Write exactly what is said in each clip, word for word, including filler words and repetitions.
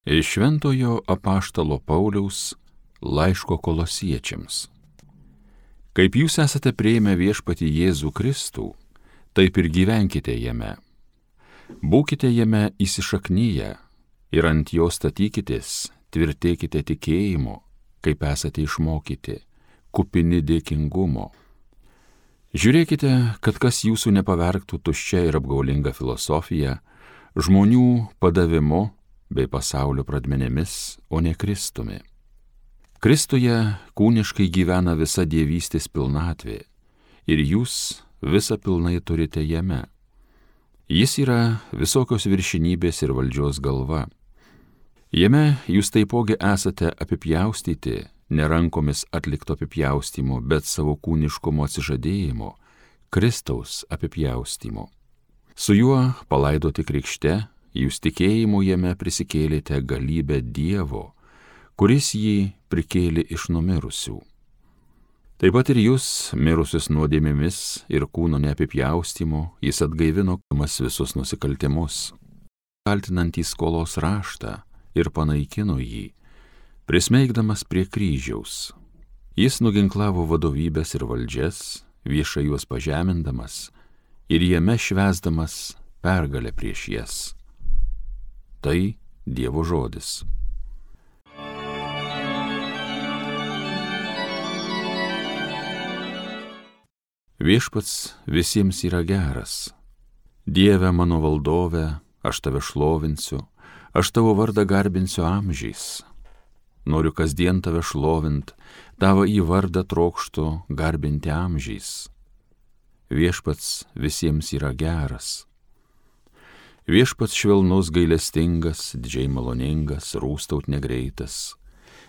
Iš Šventojo apaštalo Pauliaus laiško Kolosiečiams. Kaip jūs esate priėmę viešpatį Jėzų Kristų, taip ir gyvenkite jame. Būkite jame įsišaknyję ir ant jo statykitės, tvirtėkite tikėjimu, kaip esate išmokyti, kupini dėkingumo. Žiūrėkite, kad kas jūsų nepavergtų tuščia ir apgaulinga filosofija, žmonių padavimu bei pasaulio pradmenėmis, o ne Kristumi. Kristuje kūniškai gyvena visa dievystės pilnatvė ir jūs visą pilnai turite jame. Jis yra visokios viršinybės ir valdžios galva. Jame jūs taipogi esate apipjaustyti, ne rankomis atlikto apipjaustymo, bet savo kūniškumo atsižadėjimo, Kristaus apipjaustymo. Su juo palaidoti krikšte, jūs tikėjimu jame prisikėlėte galybę Dievo, kuris jį prikėlė iš numirusių. Taip pat ir jūs, mirusius nuodėmėmis ir kūno neapipjaustymu, jis atgaivino mas visus nusikaltimus, kaltinantys skolos raštą ir panaikino jį, prismeigdamas prie kryžiaus. Jis nuginklavo vadovybės ir valdžias, viešai juos pažemindamas ir jame švęsdamas pergalę prieš jas. Tai Dievo žodis. Viešpats visiems yra geras. Dieve mano valdove, aš tave šlovinsiu, aš tavo vardą garbinsiu amžiais. Noriu kasdien tave šlovint, tavo į vardą trokštu garbinti amžiais. Viešpats visiems yra geras. Viešpats švelnus gailestingas, didžiai maloningas, rūstaut negreitas.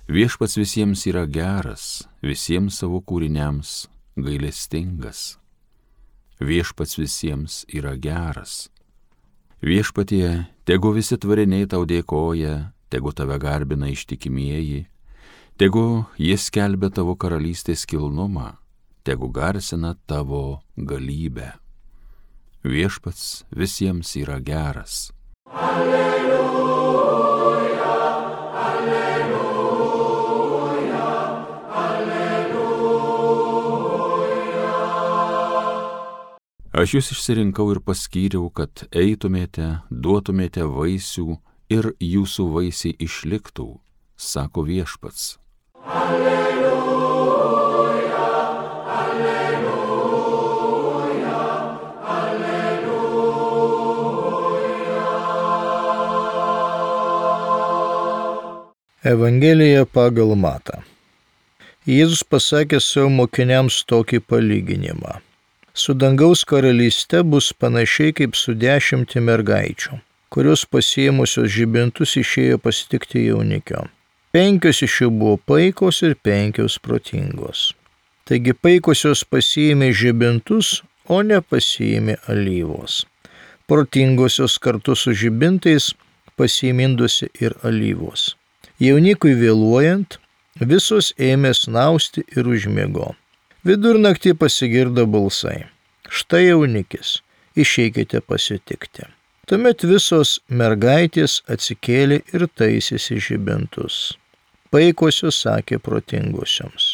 Viešpats visiems yra geras, visiems savo kūriniams gailestingas. Viešpats visiems yra geras. Viešpatie, tegu visi tvariniai tau dėkoja, tegu tave garbina ištikimieji, tegu jis skelbia tavo karalystės kilnumą, tegu garsina tavo galybę. Viešpats visiems yra geras. Alleluja, alleluja, alleluja. Aš jūs išsirinkau ir paskyriau, kad eitumėte, duotumėte vaisių ir jūsų vaisiai išliktų, sako Viešpats. Alleluja, alleluja. Evangelija pagal Matą. Jėzus pasakė savo mokiniams tokį palyginimą. Su dangaus karalyste bus panašiai kaip su dešimti mergaičių, kurios pasiėmusios žibintus išėjo pasitikti jaunikio. Penkios iš jų buvo paikos ir penkios protingos. Taigi paikosios pasiėmė žibintus, o ne pasiėmė alyvos. Protingosios kartu su žibintais pasiėmindusi ir alyvos. Jaunikui vėluojant, visos ėmė snausti ir užmiego. Vidurnaktį pasigirdo balsai. Štai jaunikis, išeikite pasitikti. Tuomet visos mergaitės atsikėlė ir taisėsi žibintus. Paikosios sakė protingosioms.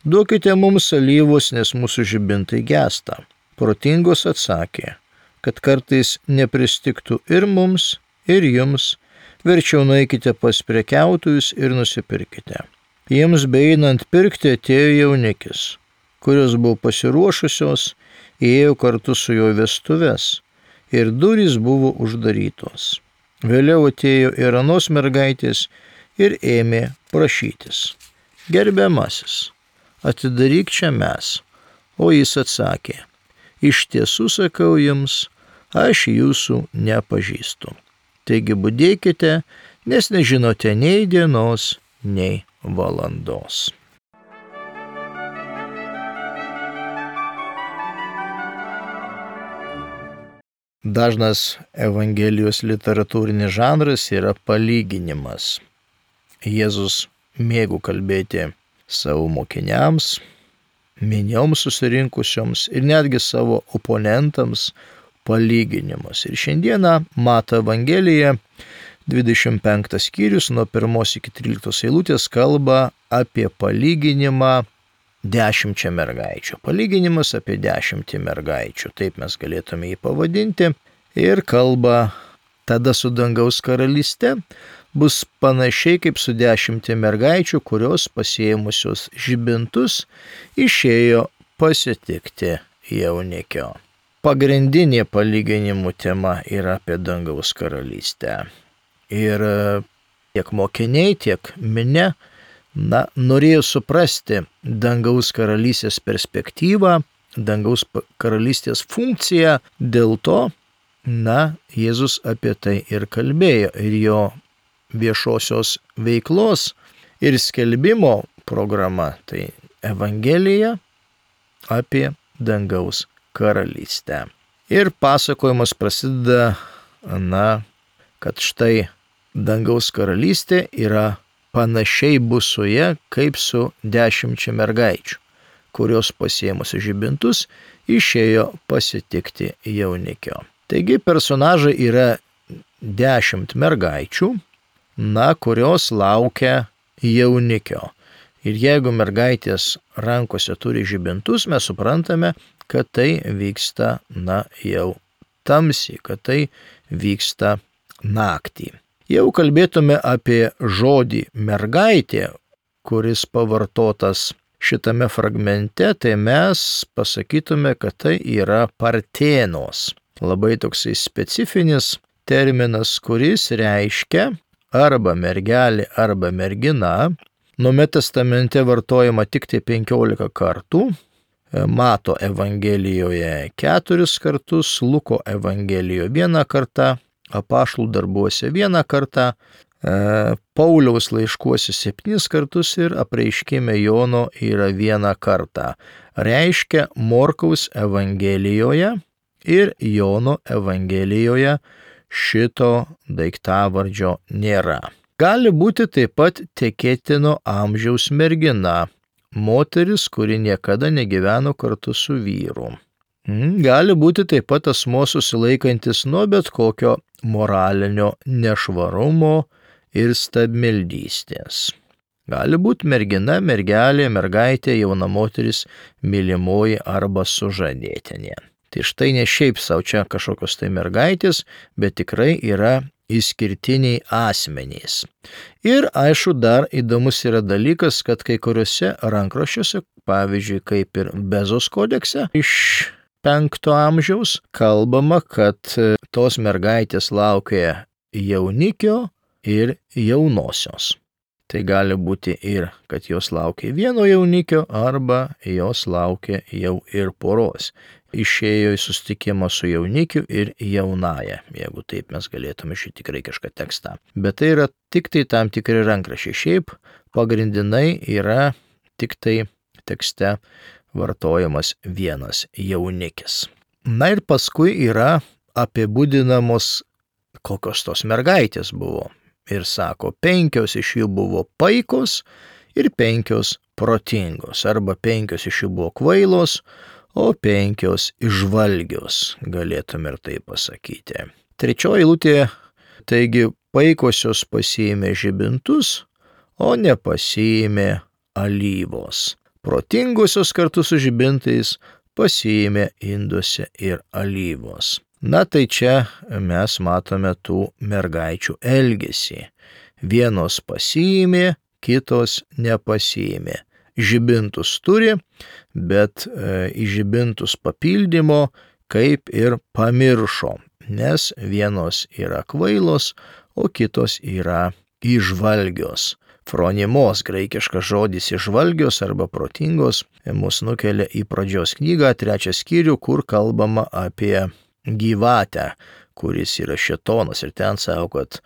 Duokite mums alyvos, nes mūsų žibintai gęsta. Protingos atsakė, kad kartais nepristigtų ir mums, ir jums, verčiau nueikite pas prekiautojus ir nusipirkite. Jiems beeinant pirkti atėjo jaunikis, kurios buvo pasiruošusios, ėjo kartu su jo vestuves ir durys buvo uždarytos. Vėliau atėjo ir anos mergaitės ir ėmė prašytis. Gerbiamasis, atidaryk čia mes. O jis atsakė, iš tiesų sakau jums, aš jūsų nepažįstu. Taigi budėkite, nes nežinote nei dienos, nei valandos. Dažnas Evangelijos literatūrinis žanras yra palyginimas. Jėzus mėgo kalbėti savo mokiniams, minioms susirinkusioms ir netgi savo oponentams palyginimus. Ir šiandieną Mato Evangelija dvidešimt penktas skyrius nuo pirmos iki tryliktos eilutės kalba apie palyginimą dešimčia mergaičių. Palyginimas apie dešimtį mergaičių, taip mes galėtume jį pavadinti. Ir kalba tada su dangaus karalyste bus panašiai kaip su dešimtį mergaičių, kurios pasiėmusios žibintus išėjo pasitikti jaunikio. Pagrindinė palyginimų tema yra apie dangaus karalystę. Ir tiek mokiniai, tiek minia, na, norėjo suprasti dangaus karalystės perspektyvą, dangaus karalystės funkciją, dėl to, na, Jėzus apie tai ir kalbėjo. Ir jo viešosios veiklos ir skelbimo programa, tai Evangelija apie dangaus karalystę. Ir pasakojimas prasideda, na, kad štai dangaus karalystė yra panašiai bus su ja, kaip su dešimčia mergaičių, kurios pasiėmusi žibintus išėjo pasitikti jaunikio. Taigi personažai yra dešimt mergaičių, na, kurios laukia jaunikio. Ir jeigu mergaitės rankose turi žibintus, mes suprantame, kad tai vyksta, na, jau tamsiai, kad tai vyksta naktį. Jau kalbėtume apie žodį mergaitė, kuris pavartotas šitame fragmente, tai mes pasakytume, kad tai yra partėnos. Labai toksai specifinis terminas, kuris reiškia arba mergelė, arba mergina. Naume testamente vartojama tik tai penkiolika kartų, Mato Evangelijoje keturis kartus, Luko Evangelijoje vieną kartą, Apaštalų darbuose vieną kartą, Pauliaus laiškuose septynis kartus ir apreiškime Jono yra vieną kartą. Reiškia Morkaus Evangelijoje ir Jono Evangelijoje šito daiktavardžio nėra. Gali būti taip pat tekėtino amžiaus mergina, moteris, kuri niekada negyveno kartu su vyru. Gali būti taip pat asmuo susilaikantis nuo bet kokio moralinio nešvarumo ir stabmeldystės. Gali būti mergina, mergelė, mergaitė, jauna moteris, mylimoji arba sužadėtinė. Tai štai ne šiaip savo čia kažkokios tai mergaitės, bet tikrai yra išskirtiniai asmenys. Ir aišku, dar įdomus yra dalykas, kad kai kuriuose rankraščiuose, pavyzdžiui, kaip ir Bezos kodekse iš penkto amžiaus, kalbama, kad tos mergaitės laukia jaunikio ir jaunosios. Tai gali būti ir, kad jos laukia vieno jaunikio, arba jos laukia jau ir poros. Išėjo į susitikimą su jaunikiu ir jaunaja, jeigu taip mes galėtume šitą graikišką tekstą. Bet tai yra tik tai tam tikri rankraščiai. Šiaip pagrindinai yra tik tai tekste vartojamas vienas jaunikis. Na ir paskui yra apibūdinamos, kokios tos mergaitės buvo. Ir sako, penkios iš jų buvo paikos ir penkios protingos, arba penkios iš jų buvo kvailos, o penkios išvalgios, galėtume ir tai pasakyti. Trečioji eilutė, taigi paikosios pasiėmė žibintus, o nepasiėmė alyvos. Protingosios kartu su žibintais pasiėmė induose ir alyvos. Na tai čia mes matome tų mergaičių elgesį. Vienos pasiėmė, kitos nepasiėmė. Žibintus turi, bet e, į žibintus papildymo kaip ir pamiršo, nes vienos yra kvailos, o kitos yra įžvalgios. Fronimos, graikiškas žodis įžvalgios arba protingos, mus nukelia į pradžios knygą, trečią skyrių, kur kalbama apie gyvatę, kuris yra šėtonas, ir ten sako, kad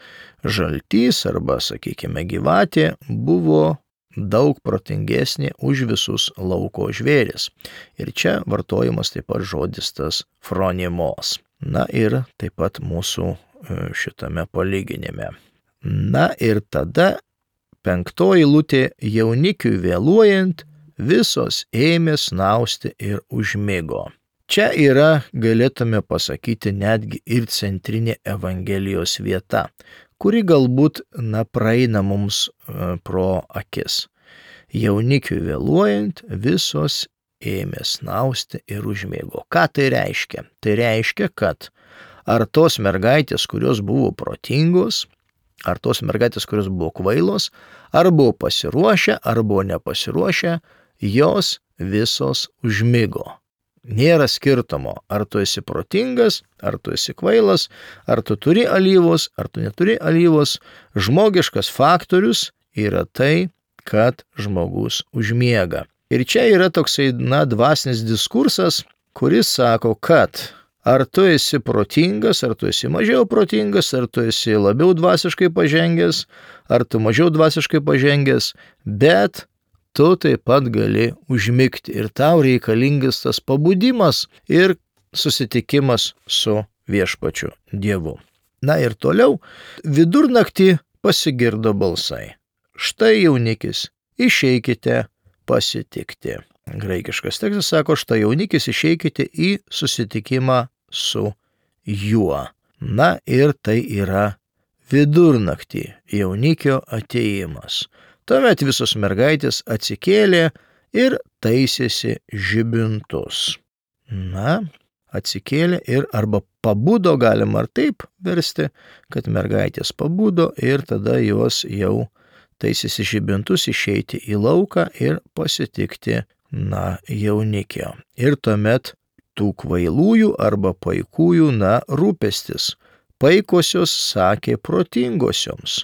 žaltys arba, sakykime, gyvatė buvo daug protingesnė už visus lauko žvėris. Ir čia vartojamas taip pat žodis tas fronimos. Na ir taip pat mūsų šitame palyginime. Na ir tada penktoji eilutė, jaunikiui vėluojant, visos ėmė snausti ir užmigo. Čia yra, galėtume pasakyti, netgi ir centrinė Evangelijos vieta, kuri galbūt, na, praeina mums pro akis. Jaunikiui vėluojant, visos ėmė snausti ir užmiego. Ką tai reiškia? Tai reiškia, kad ar tos mergaitės, kurios buvo protingos, ar tos mergaitės, kurios buvo kvailos, ar buvo pasiruošę, ar buvo nepasiruošę, jos visos užmigo. Nėra skirtumo, ar tu esi protingas, ar tu esi kvailas, ar tu turi alyvos, ar tu neturi alyvos. Žmogiškas faktorius yra tai, kad žmogus užmiega. Ir čia yra toksai, na, dvasinis diskursas, kuris sako, kad ar tu esi protingas, ar tu esi mažiau protingas, ar tu esi labiau dvasiškai pažengęs, ar tu mažiau dvasiškai pažengęs, bet tu taip pat gali užmigti ir tau reikalingas tas pabudimas ir susitikimas su viešpačiu Dievu. Na ir toliau, vidurnaktį pasigirdo balsai. Štai jaunikis, išeikite pasitikti. Graikiškas tekstas sako, štai jaunikis, išeikite į susitikimą su juo. Na ir tai yra vidurnaktį jaunikio atėjimas. Tuomet visos mergaitės atsikėlė ir taisėsi žibintus. Na, atsikėlė ir arba pabudo, galima ar taip versti, kad mergaitės pabudo ir tada jos jau taisėsi žibintus išeiti į lauką ir pasitikti, na, jaunikio. Ir tuomet tų kvailųjų arba paikųjų, na, rūpestis. Paikosios sakė protingosioms.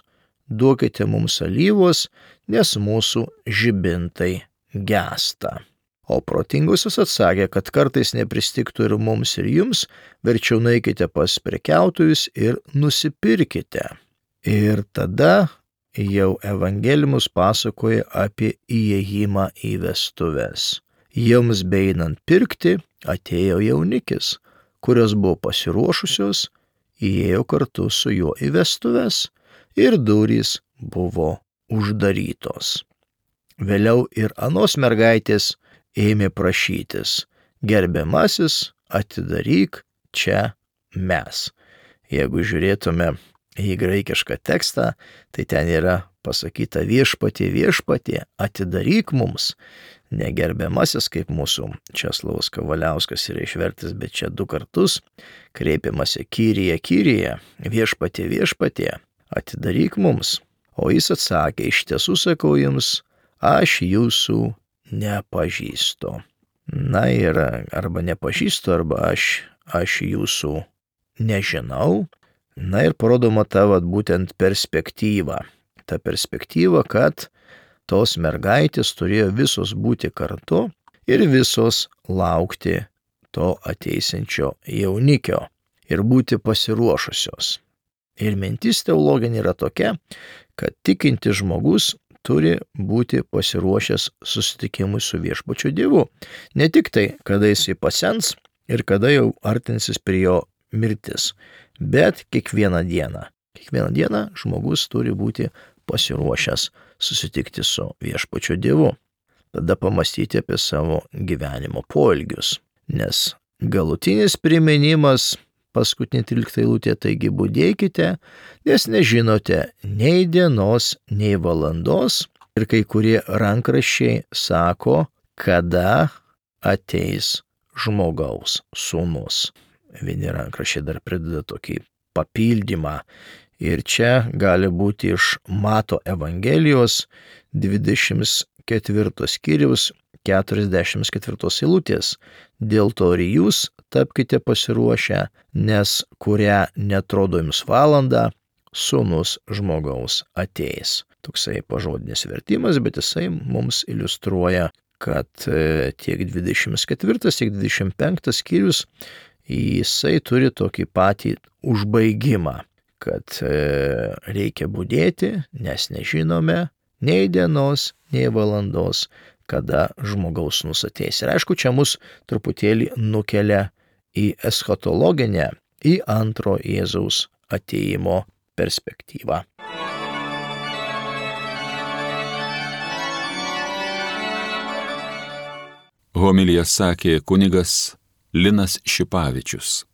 Duokite mums alyvos, nes mūsų žibintai gęsta. O protingosios atsakė, kad kartais nepristigtų ir mums ir jums, verčiau nueikite pas prekiautojus ir nusipirkite. Ir tada jau evangelimus pasakoja apie įėjimą į vestuves. Joms beeinant pirkti atėjo jaunikis, kurios buvo pasiruošusios, įėjo kartu su juo į vestuves. Ir durys buvo uždarytos. Vėliau ir anos mergaitės ėmė prašytis, gerbiamasis, atidaryk čia mes. Jeigu žiūrėtume į graikišką tekstą, tai ten yra pasakyta viešpatie, viešpatie, atidaryk mums. Negerbiamasis, kaip mūsų Česlovas Kavaliauskas yra išvertis, bet čia du kartus kreipiamasi Kyrie, Kyrie, viešpatie, viešpatie. Atidaryk mums. O jis atsakė, iš tiesų sakau jums, aš jūsų nepažįstu. Na ir arba nepažįstu, arba aš, aš jūsų nežinau. Na ir parodoma ta vat, būtent perspektyva. Ta perspektyva, kad tos mergaitės turėjo visos būti kartu ir visos laukti to ateisinčio jaunikio ir būti pasiruošusios. Ir mintis teologinė yra tokia, kad tikintis žmogus turi būti pasiruošęs susitikimui su viešpačiu Dievu. Ne tik tai, kada jisai pasens ir kada jau artinsis prie jo mirtis, bet kiekvieną dieną. Kiekvieną dieną žmogus turi būti pasiruošęs susitikti su viešpačiu Dievu. Tada pamastyti apie savo gyvenimo poelgius, nes galutinis priminimas paskutinė trylikta eilutė, taigi budėkite, nes nežinote nei dienos, nei valandos. Ir kai kurie rankraščiai sako, kada ateis žmogaus sūnus. Vieni rankraščiai dar prideda tokį papildymą. Ir čia gali būti iš Mato Evangelijos dvidešimt ketvirtos skyriaus keturiasdešimt ketvirtos eilutės. Dėl to ir jūs tapkite pasiruošę, nes kurią netrodo jums valandą, sūnus žmogaus ateis. Toksai pažodinis vertimas, bet jisai mums iliustruoja, kad tiek dvidešimt ketvirtas, tiek dvidešimt penktas skyrius, jisai turi tokį patį užbaigimą, kad reikia budėti, nes nežinome nei dienos, nei valandos, kada žmogaus sūnus ateis. Ir aišku, čia mus truputėlį nukelia į eschatologinę, į antro Jėzaus atėjimo perspektyvą. Homiliją sakė kunigas Linas Šipavičius.